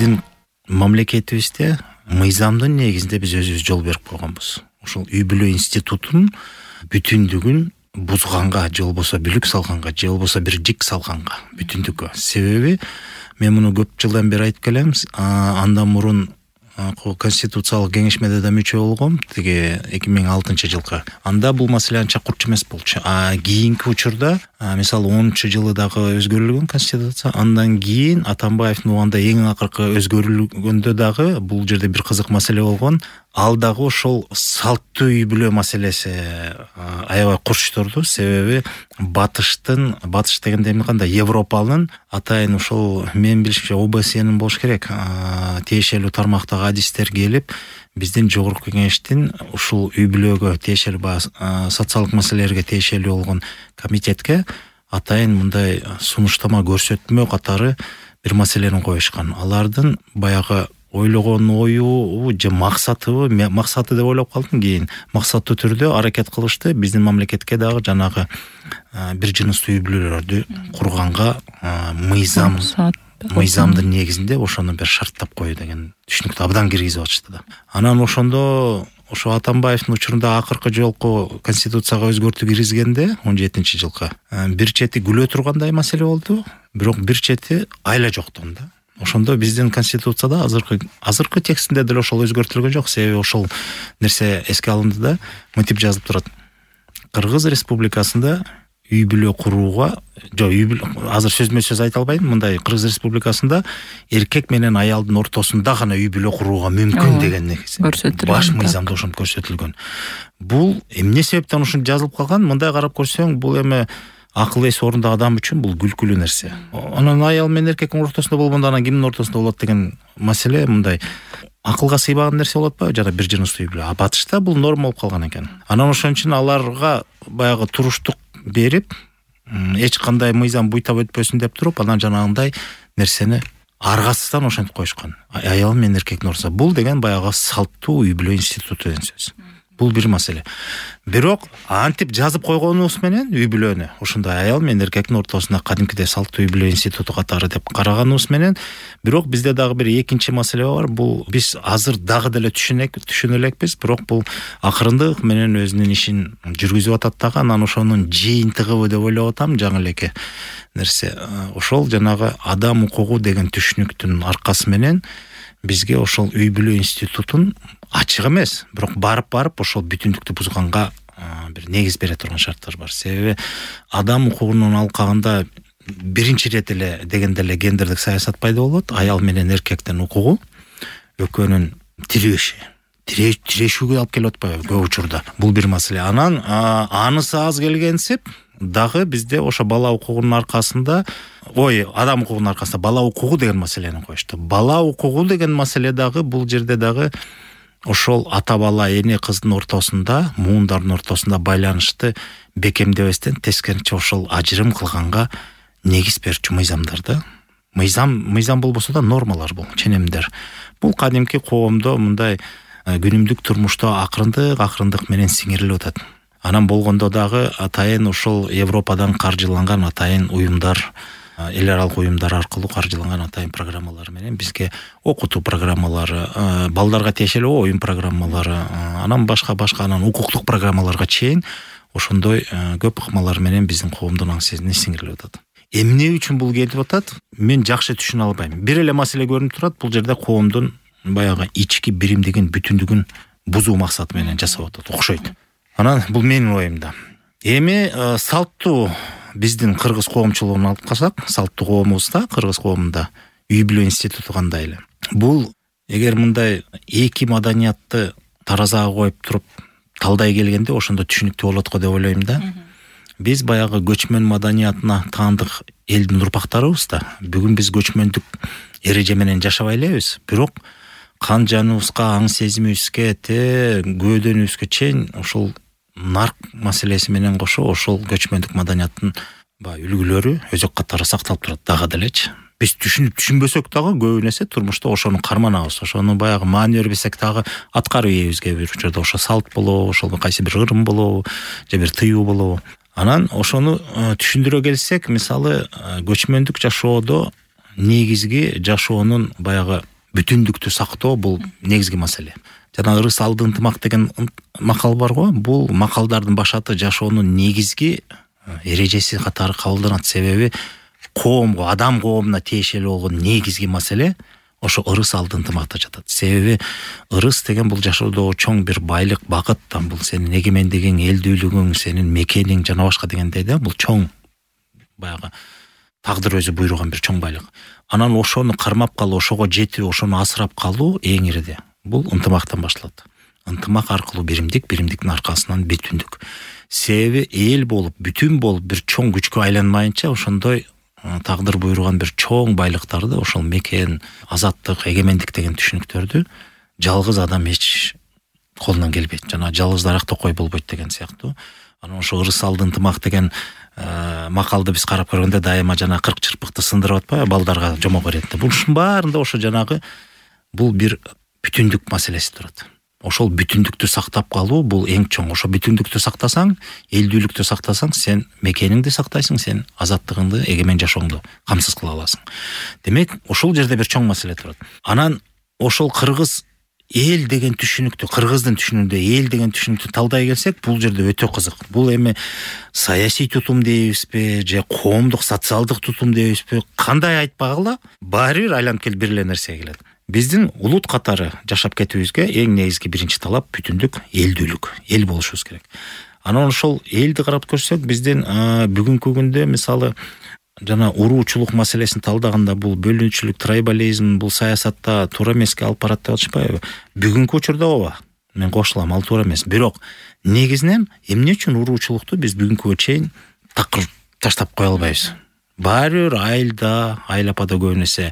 биздин мамлекетибизде мыйзамдын негизинде биз өзүбүз жол берип койгонбуз. Ошол үй бүлө институтун бүтүндүгүн бузганга, же болбосо бүлүк салганга, же болбосо бир жик салганга бүтүндүккө. Себеби мен муну көп жылдан бери айтып келем. Андан мурун Конституциялык кеңешмеде да мүчө болгом, тиги 2006 жылкы. Анда бул маселе анча курч эмес болчу. Кийинки учурда, мисалы 10-жылы дагы өзгөрүлгөн Конституция. Андан кийин Атамбаевдин убагында эң акыркы өзгөрүлгөндө дагы бул жерде бир кызык маселе болгон. Ал дагы ошол салттуу үй бүлө маселеси аябай курчтурду. Себеби батыш дегенде эми кандай, Европанын атайын ошол мен билишимче ОБСЕнин болуш керек, тиешелүү тармактагы адистер келип, биздин жогорку кеңештин ушул үй бүлөгө тиешелүү социалдык маселелерге тиешелүү болгон комитетке атайын мындай сунуштама көрсөтмө катары бир маселени коюшкан. Алардын баягы ойлогон ою же максаты деп ойлоп калдым. Кийин максаттуу түрдө аракет кылышты биздин мамлекетке дагы жанагы бир жыныстуу үй бүлөлөрдү курганга мыйзамдын негизинде ошону бир шарттап кою деген түшүнүктү абдан киргизип атышты да. Анан ошондо ошо Атамбаевдин учурунда акыркы жолку Конституцияга өзгөртүү киргизгенде 17 жылкы бир чети күлө тургандай маселе болду, бирок бир чети айла жоктон да. Ошондо биздин Конституцияда азыркы текстинде деле ошол өзгөртүлгөн жок. Себеби ошол нерсе эске алынды да, мынтип жазылып турат. Кыргыз Республикасында үй бүлө курууга, азыр сөзмө-сөз айта албайм, мындай Кыргыз Республикасында эркек менен аялдын ортосунда гана үй бүлө курууга мүмкүн деген негиз. Баш мыйзамда ошентип көрсөтүлгөн. Бул эмне себептен ушинтип жазылып калган? Мындай карап көрсөң, бул эми акыл эси орунда адам үчүн бул күлкүлүү нерсе. Анан аял менен эркектин ортосунда болгондо анан кимдин ортосунда болот деген маселе мындай акылга сыйбаган нерсе болот ба? Жана бир жыныстуу үй бүлө. Батышта бул норма болуп калган экен. Анан ошон үчүн аларга баягы туруштук берип, эч кандай мыйзам буйтап өтпөсүн деп туруп, анан жанагындай нерсени аргасыздан ошентип коюшкан. Аял менен эркектин ортосунда. Бул деген баягы салттуу үй бүлө институту деген сөз. Бул бир маселе. Бирок антип жазып койгонубуз менен үй бүлөнү ошондой аял менен эркектин ортосунда кадимкидей салттуу үй бүлө институту катары деп караганыбыз менен, бирок бизде дагы бир экинчи маселе бар. Бул биз азыр дагы деле түшүнө элекпиз, бирок бул акырындык менен өзүнүн ишин жүргүзүп атат дагы. Анан ошонун жыйынтыгыбы деп ойлоп атам, жаңы элеке нерсе. Ошол жанагы адам укугу деген түшүнүктүн аркасы менен бизге ошол үй бүлө институтун ачык эмес, бирок барып ошол бүтүндүктү бузганга бир негиз бере турган шарттар бар. Себеби адам укугунун алкагында биринчи ирет эле дегенде эле гендердик саясат пайда болот. Аял менен эркектин укугу экөөнүн тирешүүгө алып келип атпайбы көп учурда. Бул бир маселе. Анан анысы аз келгенсип дагы бизде ошо бала укугунун аркасында, адам укугунун аркасында бала укугу деген маселени коюшту. Бала укугу деген маселе дагы бул жерде дагы ошол ата бала эне кыздын ортосунда, муундардын ортосунда байланышты бекемдебестен тескерисинче ошол ажырым кылганга негиз берчү мыйзамдар да. Мыйзам болбосо да нормалар бул, ченемдер. Бул кадимки коомдо мындай күнүмдүк турмушта акырындык менен сиңирилип атат. Анан болгондо дагы атайын ошол Европадан каржыланган атайын уюмдар, эл аралык уюмдар аркылуу каржыланган атайын программалар менен бизге окутуу программалары, балдарга тиешелүү оюн программалары, анан башка анан укуктук программаларга чейин ошондой көп ыкмалар менен биздин коомдун аң сезине сиңирилип атат. Эмне үчүн бул келип атат? Мен жакшы түшүнө албайм. Бир эле маселе көрүнүп турат, бул жерде коомдун баягы ички биримдигин, бүтүндүгүн бузуу максаты менен жасап атат, окшойт. Анан бул менин оюмда. Эми салттуу биздин кыргыз коомчулугун алып калсак, салттуу коомубузда, кыргыз коомунда үй бүлө институту кандай эле? Бул эгер мындай эки маданиятты таразага коюп туруп талдай келгенде ошондо түшүнүктүү болот го деп ойлойм да. Биз баягы көчмөн маданиятына таандык элдин урпактарыбыз да. Бүгүн биз көчмөндүк эреже менен жашабай элебиз, бирок кан жаныбызга, аң сезимибизге, көөдөнүбүзгө чейин ошол нарк маселеси менен кошо ошол көчмөндүк маданияттын үлгүлөрү өзөк катары сакталып турат дагы делечи. Биз түшүнбөсөк дагы көбү нерсе турмушта ошону карманабыз. Ошону баягы маани бербесек дагы аткарып ийбизге бир учурда ошо салт болобу, ошол кайсы бир ырым болобу, же бир тыюу болобу. Анан ошону түшүндүрө келсек, мисалы көчмөндүк жашоодо негизги жашоонун баягы бүтүндүктү сактоо бул негизги маселе. Жана ырыс алды ынтымак деген макал бар го. Бул макалдардын башаты жашоонун негизги эрежеси катары кабылданат. Себеби коомго, адам коомуна тиешелүү болгон негизги маселе ошо ырыс алды ынтымакта жатат. Себеби ырыс деген бул жашоодогу чоң бир байлык, багыт, бул сенин эгемендигиң, элдүүлүгүң, сенин мекениң жана башка дегендей да, бул чоң баягы тагдыр өзү буйруган бир чоң байлык. Анан ошону кармап калуу, ошого жетүү, ошону асырап калуу эң ириде. Бул ынтымактан башталат. Ынтымак аркылуу биримдик, биримдиктин аркасынан бүтүндүк. Себеби эл болуп, бүтүн болуп бир чоң күчкө айланмайынча ошондой тагдыр буйруган бир чоң байлыктарды, ошол мекен, азаттык, эгемендик деген түшүнүктөрдү жалгыз адам эч колунан келбейт. Жана жалгыз даракта кой болбойт деген сыяктуу. Анан ошо ырыс алды ынтымак деген макалды биз карап көргөндө дайыма жана кырк чырпыкты сындырып атпайбы, балдарга жомок берет. Бунун баарында ошо жанагы бул бир бүтүндүк маселеси турат. Ошол бүтүндүктү сактап калуу бул эң чоң. Ошо бүтүндүктү сактасаң, элдүүлүктү сактасаң, сен мекениңди сактайсың, сен азаттыгыңды, эгемен жашооңду камсыз кыла аласың. Демек, ошол жерде бир чоң маселе турат. Анан ошол кыргыз эл деген түшүнүктү, кыргыздын түшүнүгүндө эл деген түшүнүктү талдай келсек, бул жерде өтө кызык. Бул эми саясий тутум дейбизби, же коомдук, социалдык тутум дейбизби, кандай айтпагыла, баары бир айланып келип бир эле нерсеге келет. Биздин улут катары жашап кетүүбүзгө эң негизги биринчи талап бүтүндүк, элдүүлүк, эл болушубуз керек. Анан ошол элди карап көрсөк, биздин бүгүнкү күндө мисалы жана уруучулук маселесин талдаганда бул бөлүнүүчүлүк, трайбализм бул саясатта туура эмеске алып барат деп атышпайбы? Бүгүнкү учурда ооба, мен кошулам, ал туура эмес. Бирок негизинен эмне үчүн уруучулукту биз бүгүнкүгө чейин такыр таштап кое албайбыз? Баары бир айылда, айыл апада көбүнесе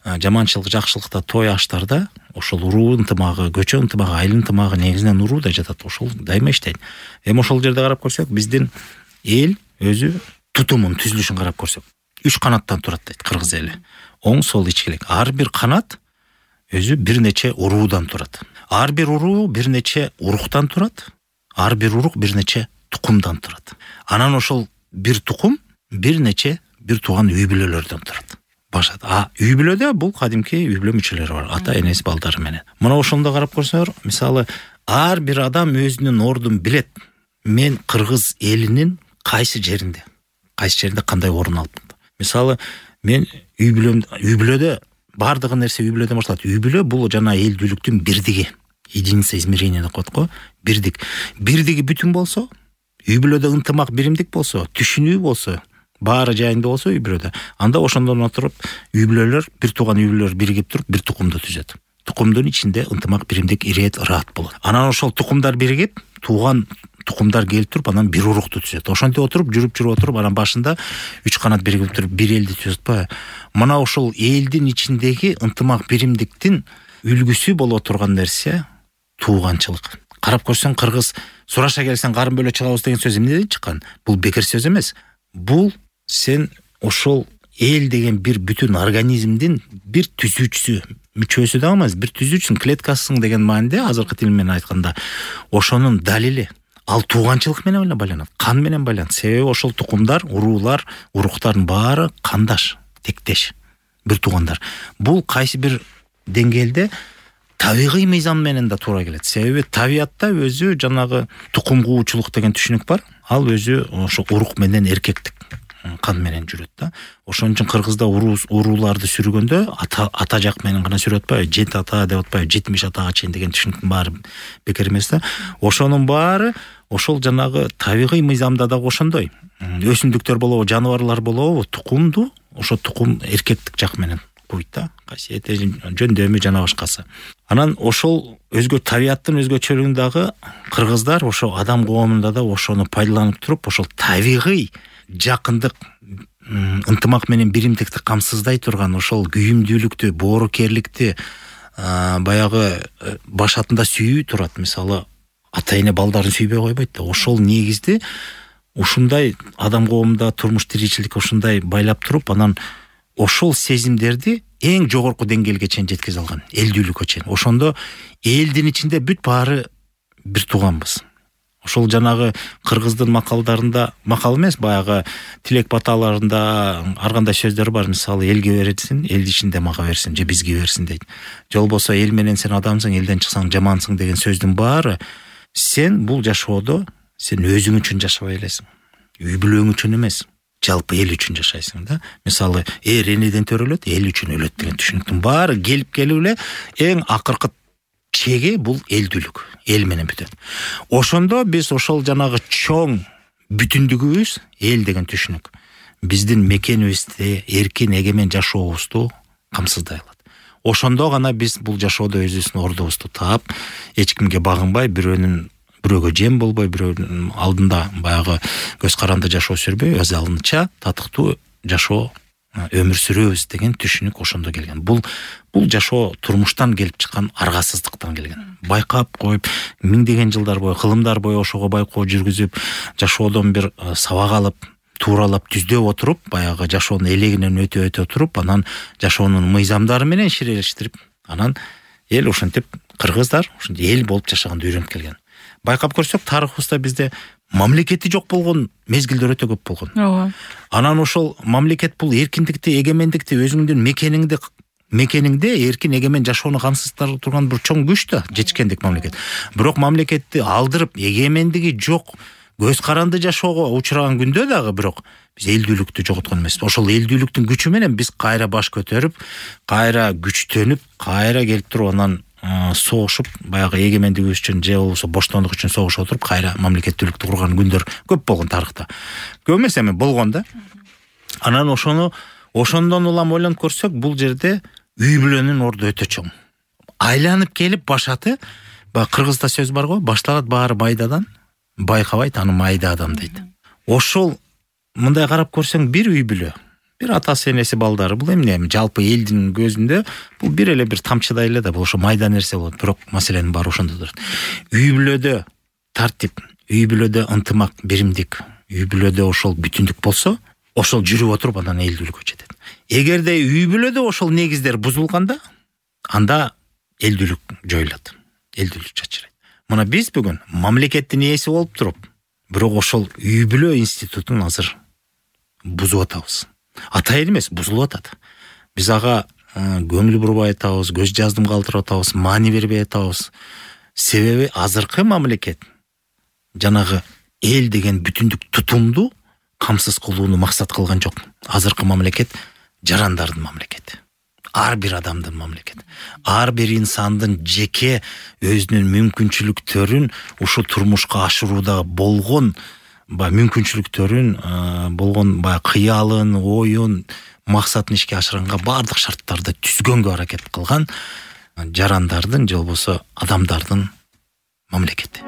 жаманчылык, жакшылыкта, той аштарда ошол уруу ынтымагы, көчө ынтымагы, айыл ынтымагы негизинен урууда жатат. Ошол дайыма иштейт. Эми ошол жерде карап көрсөк, биздин эл өзү тутумун, түзүлүшүн карап көрсөк, 3 канаттан турат дейт кыргыз эли. Оң, сол, ичкилик. Ар бир канат өзү бир нече уруудан турат. Ар бир уруу бир нече уруктан турат. Ар бир урук бир нече тукумдан турат. Анан ошол бир тукум бир нече бир тууган үй бүлөлөрдөн турат. Башат. Үй бүлөдө бул кадимки үй бүлө мүчөлөрү бар. Ата, энеси, балдары менен. Мына ошондо карап көрсөңөр, мисалы, ар бир адам өзүнүн ордун билет. Мен кыргыз элинин кайсы жеринде кандай орун алып. Мисалы, мен үй бүлөдө бардыгы нерсе үй бүлөдөн башталат. Үй бүлө бул жана элдүүлүктүн бирдиги. Единица измерения деп коет го. Бирдик. Бирдиги бүтүн болсо, үй бүлөдө ынтымак, биримдик болсо, түшүнүү болсо, баары жайында болсо үй бүлөдө. Анда ошондон отуруп үй бүлөлөр, бир тууган үй бүлөлөр биригип туруп бир тукумду түзөт. Тукумдун ичинде ынтымак, биримдик, ирэет, ыраат болот. Анан ошол тукумдар биригип, тууган тукумдар келип туруп, анан бир урукту түзөт. Ошентип отуруп, жүрүп отуруп, анан башында 3 канат биригип туруп бир элди түзөт ба. Мына ошол элдин ичиндеги ынтымак, биримдиктин үлгүсү боло турган нерсе тууганчылык. Карап көрсөң, кыргыз сураша келсең карын бөлө чыгабыз деген сөз эмнеден чыккан? Бул бекер сөз эмес. Бул сен ошол эл деген бир бүтүн организмдин бир түзүүчүсү, мүчөсү да эмес, бир түзүүчүсүң, клеткасың деген мааниде, азыркы тил менен айтканда, ошонун далили. Ал тууганчылык менен эле байланат, кан менен байланат. Себеби ошол тукумдар, уруулар, уруктардын баары кандаш, тектеш, бир туугандар. Бул кайсы бир деңгээлде табигый мыйзам менен да туура келет. Себеби табиятта өзү жанагы тукум куучулук деген түшүнүк бар. Ал өзү ошо урук менен эркектик кан менен жүрөт да. Ошон үчүн кыргызда урууларды сүргөндө ата жак менен гана сүрөт атпайбы, жет ата деп атпайбы, 70 атага чейин деген түшүнүктүн баары бекер эмес да. Ошонун баары ошол жанагы табигый мыйзамда да ошондой. Өсүмдүктөр болобу, жаныбарлар болобу, тукумду ошо тукум эркектик жак менен куйт да. Касиети, жөндөмү жана башкасы. Анан ошол өзгө табияттын өзгөчөлүгүндагы кыргыздар ошо адам коомунда да ошону пайдаланып туруп, ошол табигый жакындык, ынтымак менен биримдикти камсыздай турган ошол күйүмдүүлүктү, боорукерликти баягы башатында сүйүү турат. Мисалы, ата эне балдарын сүйбөй койбойт да. Ошол негизди ушундай адам коомунда турмуш тиричилик ушундай байлап туруп, анан ошол сезимдерди эң жогорку деңгээлге чейин жеткизе алган, элдүүлүккө чейин. Ошондо элдин ичинде бүт баары бир тууганбыз. Ошол жанагы кыргыздын макалдарында, макал эмес, баягы тилек баталарында ар кандай сөздөр бар. Мисалы, элге берсин, эл ичинде мага берсин же бизге берсин дейт. Же болбосо эл менен сен адамсың, элден чыксаң жамансың деген сөздүн баары сен бул жашоодо сен өзүң үчүн жашабай элесиң. Үй бүлөң үчүн эмес, жалпы эл үчүн жашайсың да. Мисалы, энеден төрөлөт, эл үчүн өлөт деген түшүнүктүн баары келип эле эң акыркы чеги бул элдүүлүк, эл менен бүтөт. Ошондо биз ошол жанагы чоң бүтүндүгүбүз эл деген түшүнүк биздин мекенибизди, эркин эгемен жашообузду камсыздай алат. Ошондо гана биз бул жашоодо өзүбүздүн ордубузду таап, эч кимге багынбай, бирөөгө жем болбой, бирөөнүн алдында баягы көз каранды жашоо сүрбөй, өз алдынча татыктуу жашоо өмүр сүрөбүз деген түшүнүк ошондо келген. Бул жашоо турмуштан келип чыккан аргасыздыктан келген. Байкап коюп, миңдеген жылдар бою, кылымдар бою ошого байкоо жүргүзүп, жашоодон бир сабак алып, тууралап түздөп отуруп, баягы жашоонун элегинен өтө туруп, анан жашоонун мыйзамдары менен ширеширип, анан эл ошентип кыргыздар ошентип эл болуп жашаганды үйрөнүп келген. Байкап көрсөк, тарыхыбызда бизде мамлекети жок болгон мезгилдер өтө көп болгон. Ооба. Анан ошол мамлекет бул эркиндикти, эгемендикти өзүңдүн мекениңде эркин эгемен жашоону камсыздап турган бир чоң күч да, жетишкендик мамлекет. Бирок мамлекетти алдырып, эгемендиги жок, көз каранды жашоого учураган күндө дагы бирок биз элдүүлүктү жоготкон эмеспиз. Ошол элдүүлүктүн күчү менен биз кайра баш көтөрүп, кайра күчтөнүп, кайра келип туруп анан согушуп, баягы эгемендигибиз үчүн же болбосо боштондук үчүн согушуп отуруп, кайра мамлекеттүүлүктү курган күндөр көп болгон тарыхта. Көп эмес эми болгон да. Анан ошондон улам ойлонуп көрсөк, бул жерде үй бүлөнүн орду өтө чоң. Айланып келип башаты, кыргызда сөз бар го, башталат баары майдадан, байкабайт аны майда адам дейт. Ошол мындай карап көрсөң, бир үй бүлө, бир атасы, энеси, балдары, бул эмне жалпы элдин көзүндө бул бир эле бир тамчыдай эле да, бул ошо майда нерсе болот. Бирок маселенин баары ошондо турат. Үй бүлөдө тартип, үй бүлөдө ынтымак, биримдик, үй бүлөдө ошол бүтүндүк болсо, ошол жүрүп отуруп анан элдүүлүккө жетет. Эгерде үй бүлөдө ошол негиздер бузулганда, анда элдүүлүк жоюлат, элдүүлүк чачырайт. Мына биз бүгүн мамлекеттин ээси болуп туруп, бирок ошол үй бүлө институтун азыр бузуп атабыз. Атайын эмес, бузулуп атат. Биз ага көңүл бурбай атабыз, көз жаздым калтырып атабыз, маани бербей атабыз. Себеби азыркы мамлекет жанагы эл деген бүтүндүк тутумду камсыз кылууну максат кылган жок. Азыркы мамлекет жарандардын мамлекети. Ар бир адамдын мамлекети. Ар бир инсандын жеке өзүнүн мүмкүнчүлүктөрүн ушул турмушка ашырууда болгон мүмкүнчүлүктөрүн, болгон кыялын, оюн, максатын ишке ашырганга бардык шарттарды түзгөнгө аракет кылган жарандардын же болбосо адамдардын мамлекети.